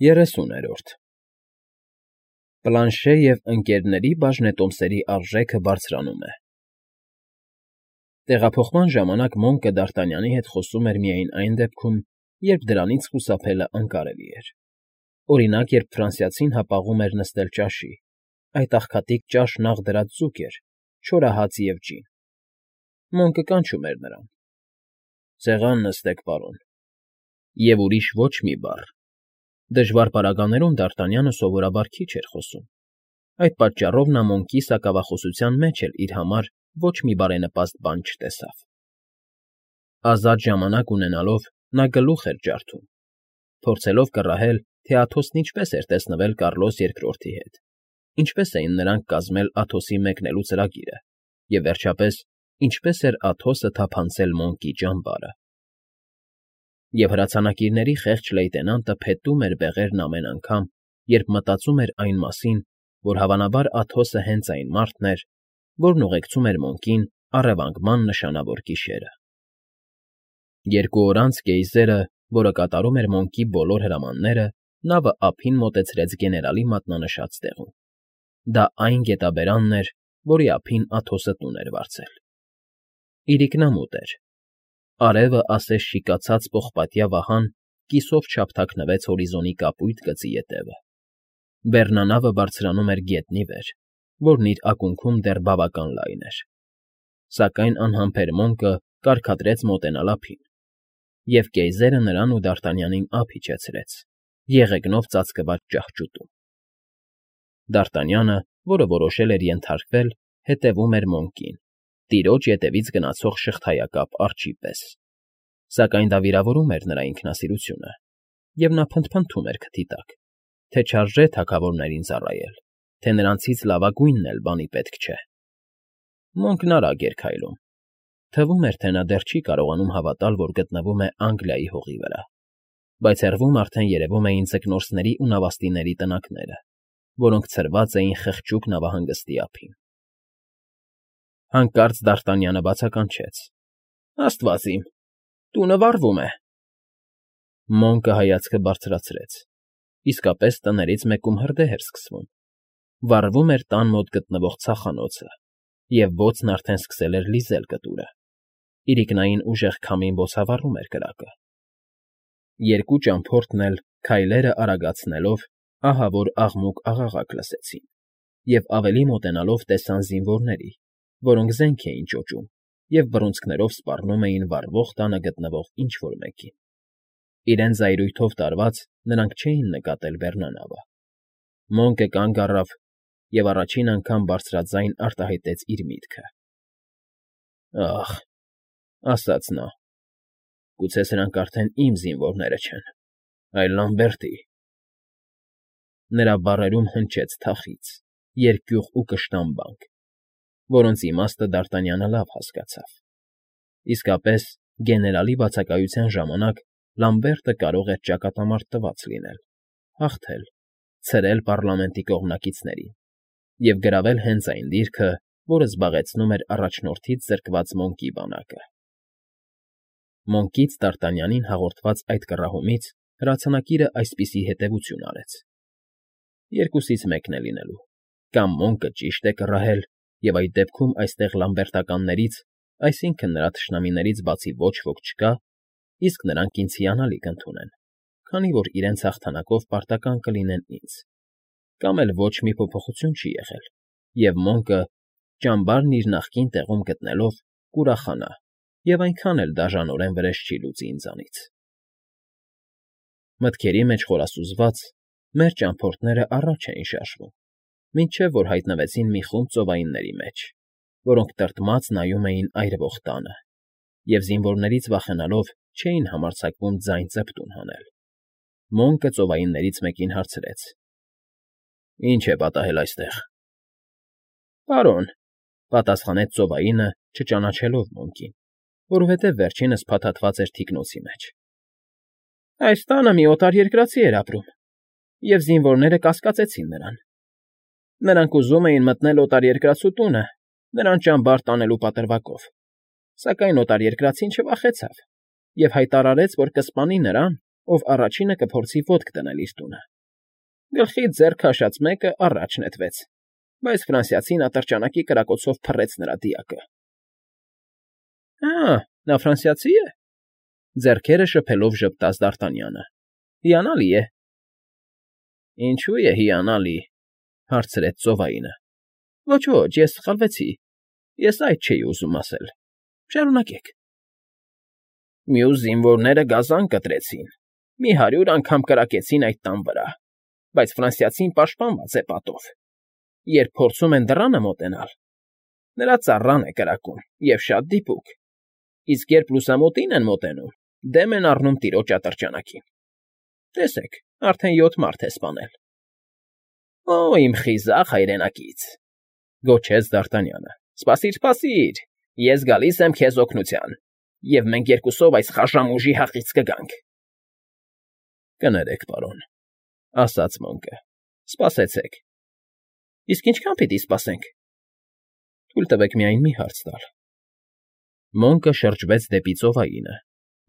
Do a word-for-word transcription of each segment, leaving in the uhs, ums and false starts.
Երեսուներորդ Պլանշե և Ընկ. բաժնետոմսերի արժեքը բարձրանում է Տեղափոխման ժամանակ Մոնկը Դ'Արտանյանի հետ խոսում էր միայն այն դեպքում, երբ դրանից խուսափելը անկարելի էր, օրինակ, երբ ֆրանսիացին հապաղում էր նստել ճաշի, այդ աղքատիկ ճաշն աղ դրած ձուկ էր, չորահաց և ջին։ Մոնկը կանչում էր նրան. «Սեղան նստեք, պարոն»։ Եվ ուրիշ ոչ մի բառ։ Դժվար պարագաներում Դ'Արտանյանը սովորաբար քիչ էր խոսում, այդ պատճառով նա Մոնկի սակավախոսության մեջ էլ իր համար ոչ մի բարենպաստ բան չտեսավ։ Ազատ ժամանակ ունենալով նա գլուխ էր ջարդում, փորձելով կռահել, թե Աթոսն ինչպես էր տեսնվել Կառլոս Երկրորդի հետ, ինչպես էին նրանք կազմել Աթոսի մեկնելու ծրագիրը և, վերջապես, ինչպես էր Աթոսը թափանցել Մոնկի ճամբարը։ Եվ հրացանակիրների խեղճ լեյտենանտը փետում էր բեղերն ամեն անգամ, երբ մտածում էր այն մասին, որ հավանաբար Աթոսը հենց այն մարդն էր, որն ուղեկցում էր Մոնկին առևանգման նշանավոր գիշերը։ Երկու օր անց գեյզերը, որը կատարում էր Մոնկի բոլոր հրամանները, նավը ափին մոտեցրեց գեներալի մատնանշած տեղում։ Դա այն գետաբերանն էր, որի ափին Աթոսը տուն էր վարձել։ Իրիկնամուտ էր։ Արևը ասես շիկացած պողպատյա վահան կիսով չափթաքնվեց հորիզոնի կապույտ գծի ետևը։ Բեռնանավը բարձրանում էր գետնի վեր, որն իր ակունքում դեռ բավական լայն էր։ Սակայն անհամբեր Մոնկը կարգադրեց մոտենալ ափին, և գեյզերը նրան ու Դ'Արտանյանին ափ իջեցրեց, եղեգնով ծածկված ճահճուտում։ Դ'Արտանյանը, որը որոշել էր ենթարկվել, հետևում էր Մոնկին, տիրոջ ետևից գնացող շղթայակապ արջի պես, սակայն դա վիրավորում էր նրա ինքնասիրությունը, և նա փնթփնթում էր քթի տակ, թե չարժե թագավորներին ծառայել, թե նրանցից լավագույնն էլ բանի պետք չէ։ Մոնկն արագ էր քայլում։ Թվում էր, թե նա դեռ չի կարողանում հավատալ, որ գտնվում է Անգլիայի հողի վրա, բայց հեռվում արդեն երևում էին ձկնորսների ու նավաստիների տնակները, որոնք ցրված էին խղճուկ նավահանգստի ափին։ Հանկարծ Դ'Արտանյանը բացականչեց. «Աստված իմ, տունը վառվում է»։ Մոնկը հայացքը բարձրացրեց. իսկապես տներից մեկում հրդեհ էր սկսվում։ Վառվում էր տան մոտ գտնվող ցախանոցը, և բոցն արդեն սկսել էր լիզել կտուրը, իրիկնային ուժեղ քամին բոցավառում էր կրակը։ Երկու ճամփորդն էլ, քայլերը արագացնելով, ահավոր աղմուկ֊աղաղակ լսեցին և ավելի մոտենալով տեսան զինվորների, որոնք զենք էին ճոճում և բռունցքներով սպառնում էին վառվող տանը գտնվող ինչ֊որ մեկին։ Իրենց զայրույթով տարված՝ նրանք չէին նկատել բեռնանավը։ Մոնկը կանգ առավ և առաջին անգամ բարձրաձայն արտահայտեց իր միտքը. «Ախ», ասաց նա, «գուցե սրանք արդեն իմ զինվորները չեն, այլ Լամբերտի»։ Նրա բառերում հնչեց թախիծ, երկյուղ ու կշտամբանք, որոնց իմաստը Դ'Արտանյանը լավ հասկացավ։ Իսկապես, գեներալի բացակայության ժամանակ Լամբերտը կարող էր ճակատամարտ տված լինել, հաղթել, ցրել պառլամենտի կողմնակիցներին և գրավել հենց այն դիրքը, որը զբաղեցնում էր առաջնորդից զրկված Մոնկի բանակը։ Մոնկից Դ'Արտանյանին հաղորդված այդ կռահումից հրացանակիրը այսպիսի հետևություն արեց. երկուսից մեկն է լինելու. կամ Մոնկը ճիշտ է կռահել, և այդ դեպքում այստեղ լամբերտականներից, այսինքն՝ նրա թշնամիներից բացի ոչ ոք չկա, իսկ նրանք ինձ հիանալի կընդունեն, քանի որ իրենց հաղթանակով պարտական կլինեն ինձ, կամ էլ ոչ մի փոփոխություն չի եղել, և Մոնկը, ճամբարն իր նախկին տեղում գտնելով, կուրախանա և այնքան էլ դաժանորեն վրեժ չի լուծի ինձանից։ Մտքերի մեջ խորասուզված, մեր ճամփորդներն առաջ էին շարժվում, մինչև որ հայտնվեցին մի խումբ ծովայինների մեջ, որոնք տրտմած նայում էին այրվող տանը և, զինվորներից վախենալով, չէին համարձակվում ձայն ծպտուն հանել։ Մոնկը ծովայիններից մեկին հարցրեց. «Ի՞նչ է պատահել այստեղ»։ «Պարոն», պատասխանեց ծովայինը, չճանաչելով Մոնկին, որովհետև վերջինս փաթաթված էր թիկնոցի մեջ, «այս տանը մի օտարերկրացի էր ապրում, և զինվորները կասկածեցին նրան։ Նրանք ուզում էին մտնել օտարերկրացու տունը նրան ճամբար տանելու պատրվակով, սակայն օտարերկրացին չվախեցավ և հայտարարեց, որ կսպանի նրան, ով առաջինը կփորձի ոտք դնել իր տունը։ Գլխից ձեռ քաշած մեկը առաջ նետվեց, բայց ֆրանսիացին ատրճանակի կրակոցով փռեց նրա դիակը։ ֊ Ա՜, նա ֆրանսիացի է,֊ ձեռքերը շփելով ժպտաց Դ'Արտանյանը։֊ Հիանալի է։ ֊ Ինչո՞ւ է հիանալի,֊ հարցրեց ծովայինը։ ֊ Ոչ, ոչ, ես սխալվեցի, ես այդ չէի ուզում ասել, շարունակեք։ ֊ Մյուս զինվորները գազան կտրեցին, մի հարյուր անգամ կրակեցին այդ տան վրա, բայց ֆրանսիացին պաշտպանված է պատով։ Երբ փորձում են դռանը մոտենալ, նրա ծառան է կրակում և շատ դիպուկ, իսկ երբ լուսամուտին են մոտենում, դեմ են առնում տիրոջ ատրճանակին։ Տեսեք, արդեն յոթ մարդ է սպանել։ ֊ Օ՜, իմ խիզախ հայրենակից,֊ գոչեց Դ'Արտանյանը,֊ սպասիր, սպասիր, ես գալիս եմ քեզ օգնության, և մենք երկուսով այս խաժամ ուժի հախից կգանք։ ֊ Կներեք, պարոն,֊ ասաց Մոնկը,֊ սպասեցեք։ ֊ Իսկ ինչքան պիտի սպասենք։ ֊ Թույլ տվեք միայն մի հարց տալ։ Մոնկը շրջվեց դեպի ծովայինը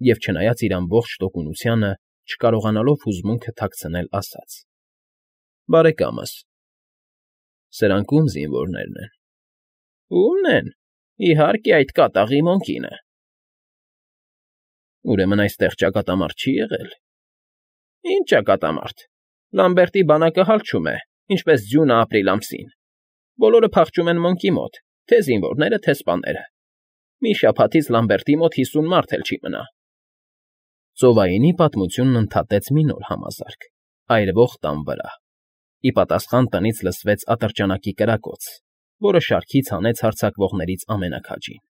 և, չնայած իր ամբողջ տոկունությանը, չկարողանալով հուզմունքը թաքցնել, ասաց. ֊ Բարեկամս, սրանք ո՞ւմ զինվորներն են։ ֊ Ո՞ւմն են, իհարկե, այդ կատաղի Մոնկինը։ ֊ Ուրեմն այստեղ ճակատամարդ չի եղել։ ֊ Ինչ ճակատամարդ, Լամբերտի բանակը հալչում է, ինչպես ձյունը ապրիլ ամսին, բոլորը փախչում են Մոնկի մոտ, թե զինվորները, թե սպաները։ Մի շաբաթից Լամբերտի մոտ հիսուն մարդ էլ չի մնա։ Ծովայինի պատմությունն ընդհատեց մի նոր համազարկ, այրվող տան վրա։ Ի պատասխան տնից լսվեց ատրճանակի կրակոց, որը շարքից հանեց հարձակվողներից ամենաքաջին։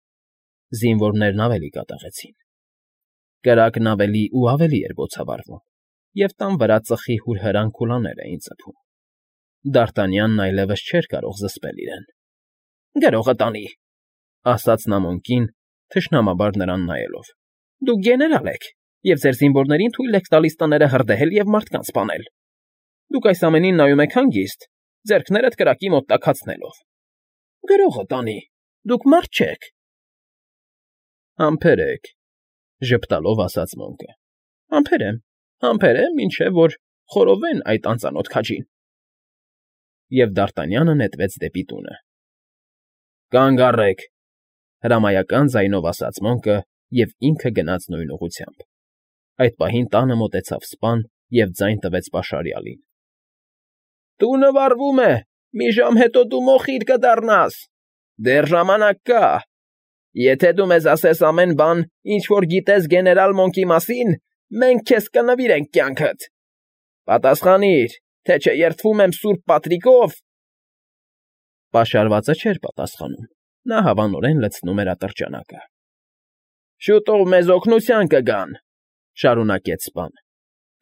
Զինվորներն ավելի կատաղեցին։ Կրակն ավելի ու ավելի էր բոցավառվում, և տան վրա ծխի հուրհրան քուլաներ էին ծփում։ Դ'Արտանյանն այլևս չէր կարող զսպել իրեն։ ֊ Գրողը տանի,֊ ասաց նա Մոնկին, թշնամաբար նրան նայելով,֊ դուք գեներալ եք և ձեր զինվորներին թույլ եք տալիս տները հրդեհել և մարդկանց սպանել։ Դուք այս ամենին նայում եք հանգիստ, ձեռքներդ կրակի մոտ տաքացնելով։ Գրողը տանի, դուք մարդ չեք։ ֊ Համբերեք,֊ ժպտալով ասաց Մոնկը։ ֊ Համբերեմ, համբերեմ, մինչև որ խորովեն այդ անծանոթ քաջին։ Եվ Դ'Արտանյանը նետվեց դեպի տունը։ ֊ Կանգ առեք,֊ հրամայական ձայնով ասաց Մոնկը և ինքը գնաց նույն ուղղությամբ։ Այդ պահին տանը մոտեցավ սպան և ձայն տվեց պաշարյալին։ ֊ Տունը վառվում է, մի ժամ հետո դու մոխիր կդառնաս, դեռ ժամանակ կա։ Եթե դու մեզ ասես ամեն բան, ինչ որ գիտես գեներալ Մոնկի մասին, մենք քեզ կնվիրենք կյանքդ։ Պատասխանիր, թե չէ երդվում եմ սուրբ պատրիկով… Պաշարվածը չէր պատասխանում, նա հավանորեն լցնում էր ատրճանակը։ ֊ Շուտով մեզ օգնության կգան,֊ շարունակեց սպան,֊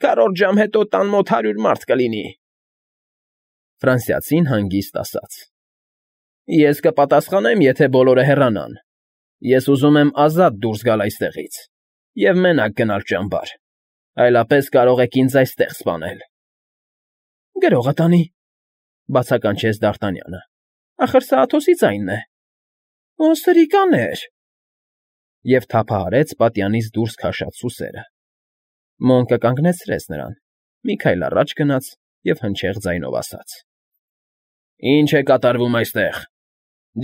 քառորդ ժամ հետո տան մոտ հարյուր մարդ կլինի։ Ֆրանսիացին հանգիստ ասաց. ֊ Ես կպատասխանեմ, եթե բոլորը հեռանան։ Ես ուզում եմ ազատ դուրս գալ այստեղից և մենակ գնալ ճամբար, այլապես կարող եք ինձ այստեղ սպանել։ ֊ Գրողը տանի,֊ բացականչեց Դ'Արտանյանը,֊ ախր սա Աթոսի ձայնն է։ ֊ Օ, սրիկաներ…֊ Եվ թափահարեց պատյանից դուրս քաշած սուսերը։ Մոնկը կանգնեցրեց նրան, մի քայլ առաջ գնաց և հնչեղ ձայնով ասաց. ֊ Ի՞նչ է կատարվում այստեղ։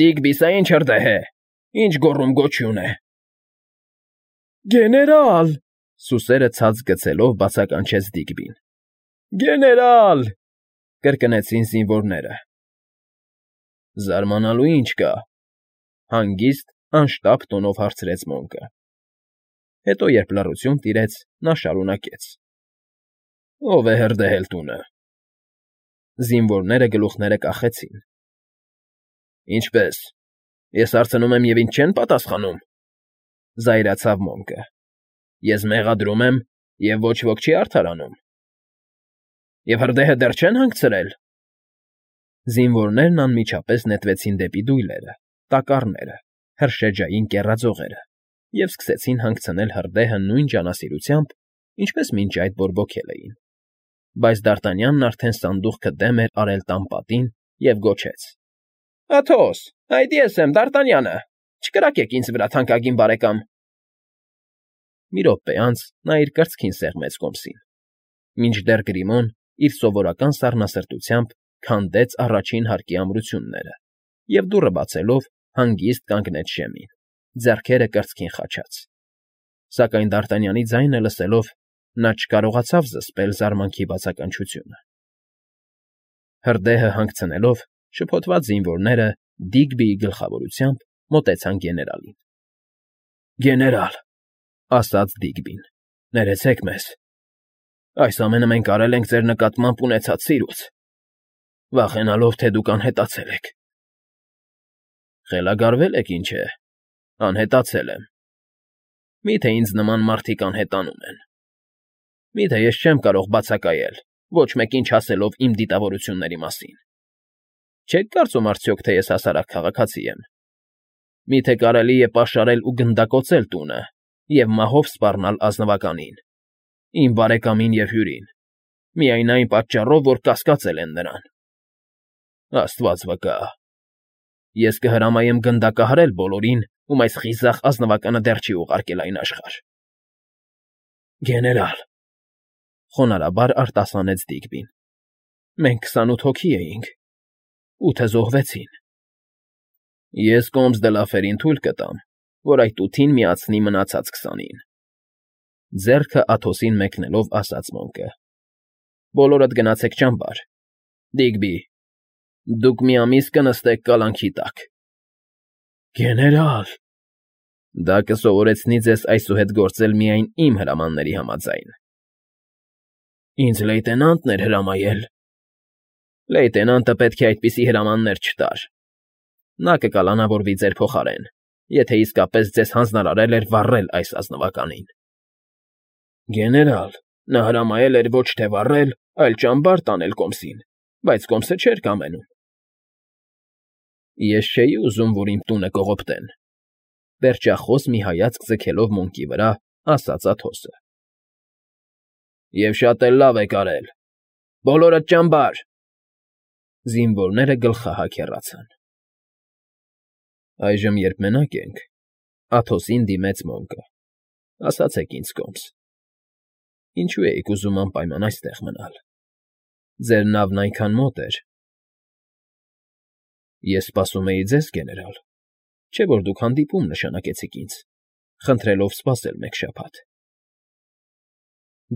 Դիգբի, սա ի՞նչ հրդեհ է, ի՞նչ գոռում֊գոչյուն է։ ֊ Գեներալ,֊ սուսերը ցած գցելով բացականչեց Դիգբին։ ֊ Գեներալ,֊ կրկնեցին զինվորները։ ֊ Զարմանալու ինչ կա,֊ հանգիստ, անշտապ տոնով հարցրեց Մոնկը։ Հետո, երբ լռություն տիրեց, նա շարունակեց. ֊ Ո՞վ է հրդեհել տունը։ Զինվորները գլուխները կախեցին։ ֊ Ինչպե՞ս, ես հարցնում եմ, և ինձ չեն պատասխանում,֊ զայրացավ Մոնկը։ ֊ Ես մեղադրում եմ, և ոչ ոք չի արդարանում։ ֊ Եվ հրդեհը դեռ չե՞ն հանգցրել։ Զինվորներն անմիջապես նետվեցին դեպի դույլերը, տակառները, հրշեջային կեռաձողերը և սկսեցին հանգցնել հրդեհը նույն ջանասիրությամբ, ինչպես մինչ այդ բորբոքել էին։ Բայց Դ'Արտանյանն արդեն սանդուղքը դեմ էր արել տան պատին և գոչեց. ֊ Աթոս, այդ ես եմ, Դ'Արտանյանը, չկրակեք ինձ վրա, թանկագին բարեկամ։ մի րոպե անց նա իր կրծքին սեղմեց կոմսին, մինչդեռ Գրիմոն իր սովորական սառնասրտությամբ քանդեց առաջին հարկի ամրությունները և դուռը բացելով հանգիստ կանգնեց շեմին, ձեռքերը կրծքին խաչած, սակայն Դարտանյանի ձայնը լսելով նա չկարողացավ զսպել զարմանքի բացականչությունը։ Հրդեհը հանգցնելով, շփոթված զինվորները Դիգբիի գլխավորությամբ մոտեցան գեներալին։ ֊ Գեներալ,֊ ասաց Դիգբին,֊ ներեցեք մեզ… Այս ամենը մենք արել ենք ձեր նկատմամբ ունեցած սիրուց, վախենալով, թե դուք անհետացել եք։ ֊ Խելագարվե՞լ եք, ինչ է, անհետացել եմ… Մի՞թե ինձ նման մարդիկ անհետանում են… Մի՞թե ես չեմ կարող բացակայել, ոչ մեկին չասելով իմ դիտավորությունների մասին… Չեք կարծում արդյոք, թե ես հասարակ քաղաքացի եմ… Մի՞թե կարելի է պաշարել ու գնդակոծել տունը և մահով սպառնալ ազնվականին, իմ բարեկամին և հյուրին, միայն այն պատճառով, որ կասկածել են նրան… Աստված վկա… Ես կհրամայեմ գնդակահարել բոլորին, ում այս խիզախ ազնվականը դեռ չի ուղարկել այն աշխարհ… ֊ Գեներալ,֊ խոնարհաբար արտասանեց Դիգբին,֊ մենք քսանութ հոգի էինք, ութը զոհվեցին… ֊ Ես Կոմս դը Լաֆերին թույլ կտամ, որ այդ ութին միացնի մնացած քսանին,֊ ձեռքը Աթոսին մեկնելով ասաց Մոնկը։֊ Բոլորդ գնացեք ճամբար… Դիգբի, դուք մի ամիս կնստեք կալանքի տակ… ֊ Գեներալ…֊ Դա կսովորեցնի ձեզ այսուհետ գործել միայն իմ հրամանների համաձայն… ֊ Ինձ լեյտենանտն էր հրամայել… ֊ Լեյտենանտը պետք է այդպիսի հրամաններ չտար… Նա կկալանավորվի ձեր փոխարեն, եթե իսկապես ձեզ հանձնարարել էր վառել այս ազնվականին… ֊ Գեներալ, նա հրամայել էր ոչ թե վառել, այլ ճամբար տանել Կոմսին, բայց Կոմսը չէր կամենում… ֊ Ես չէի ուզում, որ իմ տունը կողոպտեն,֊ պերճախոս մի հայացք ձգելով Մոնկի վրա, ասաց Աթոսը։ ֊ Եվ շատ էլ լավ եք արել… Բոլորդ ճամբար… Զինվորները գլխահա քեռացան։ ֊ Այժմ, երբ մենակ ենք,֊ Աթոսին դիմեց Մոնկը,֊ ասացեք ինձ, Կոմս, ինչո՞ւ էիք ուզում անպայման այստեղ մնալ… Ձեր նավն այնքան մոտ էր… ֊ Ես սպասում էի ձեզ, գեներալ, չէ՞ որ դուք հանդիպում նշանակեցիք ինձ, խնդրելով սպասել մեկ շաբաթ…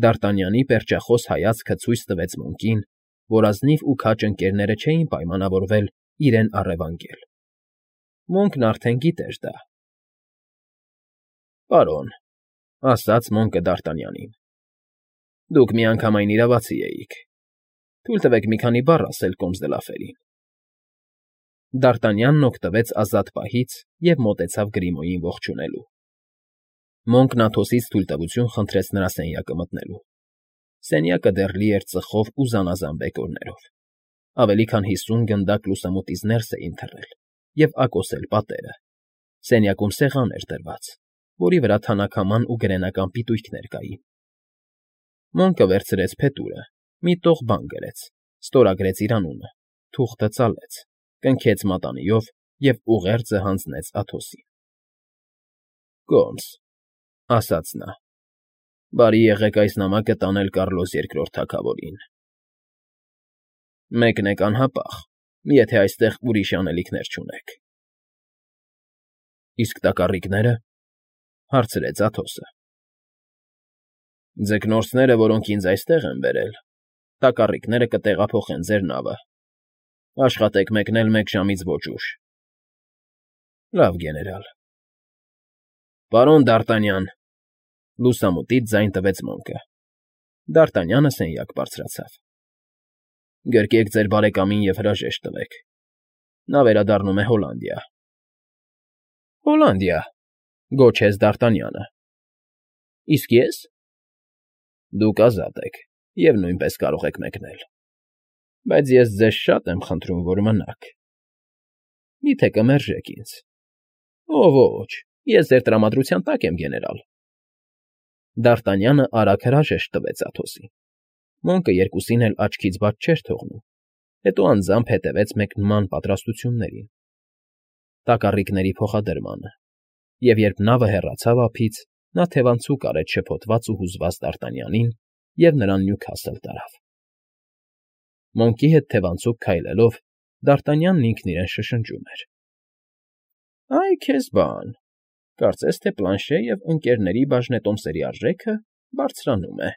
Դարտանյանի պերճախոս հայացքը ցույց տվեց Մոնկին, որ ազնիվ ու քաջ ընկերները չէին պայմանավորվել իրեն առևանգել… Մոնկն արդեն գիտեր դա։ ֊ Պարոն,֊ ասաց Մոնկը Դարտանյանին,֊ դուք միանգամայն իրավացի էիք… Թույլ տվեք մի քանի բառ ասել Կոմս դը Լաֆերին… Դարտանյանն օգտվեց ազատ պահից և մոտեցավ Գրիմոյին ողջունելու… Մոնկն Աթոսից թույլտվություն խնդրեց նրա սենյակը մտնելու… Սենյակը դեռ լի էր ծխով ու զանազան բեկորներով, ավելի քան հիսուն գնդակ լուսամուտից ներս էին թռել և ակոսել պատերը… Սենյակում սեղան էր դրված, որի վրա թանաքաման ու գրենական պիտույքներ կային… Մոնկը վերցրեց փետուրը, մի տող բան գրեց, ստորագրեց իր անունը, թուղթը ծալեց, կնքեց մատանիով և ուղերձը հանձնեց Աթոսին։ ֊ Կոմս,֊ ասաց նա,֊ բարի եղեք այս նամակը տանել Կառլոս Երկրորդ թագավորին… Մեկն եք անհապաղ, եթե այստեղ ուրիշ անելիքներ չունեք… ֊ Իսկ տակառիկնե՞րը,֊ հարցրեց Աթոսը։ ֊ Ձկնորսները, որոնք ինձ այստեղ են բերել, տակառիկները կտեղափոխեն ձեր նավը… Աշխատեք մեկնել մեկ ժամից ոչ ուշ… ֊ Լավ, գեներալ… ֊ Պարոն Դ'Արտանյան,֊ լուսամուտից ձայն տվեց Մոնկը։ Դ'Արտանյանը սենյակ բարձրացավ։ ֊ Գրկեք ձեր բարեկամին և հրաժեշտ տվեք… Նա վերադառնում է Հոլանդիա… ֊ Հոլանդիա,֊ գոչեց Դ'Արտանյանը։֊ Իսկ ե՞ս։ ֊ Դուք ազատ եք և նույնպես կարող եք մեկնել… Բայց ես ձեզ շատ եմ խնդրում, որ մնաք… Մի՞թե կմերժեք ինձ։ ֊ Ո՛չ, ո՛չ, ես ձեր տրամադրության տակ եմ, գեներալ… Դ'Արտանյանը արագ հրաժեշտ տվեց Աթոսին։ Մոնկը երկուսին էլ աչքից բաց չէր թողնում, հետո անձամբ հետևեց մեկնման պատրաստություններին, տակառիկների փոխադրմանը, և երբ նավը հեռացավ ափից, Նա թևանցուկ արեց շփոթված ու հուզված դարտանյանին և նրան Նյուքասլ տարավ։ Մոնկի հետ թևանցուկ քայլելով՝ դարտանյանն ինքն իրեն շշնջում էր. ֊ Ա՜յ քեզ բան, կարծես թե Պլանշե և Ընկ.֊ների բաժնետոմսերի արժեքը բարձրանում է։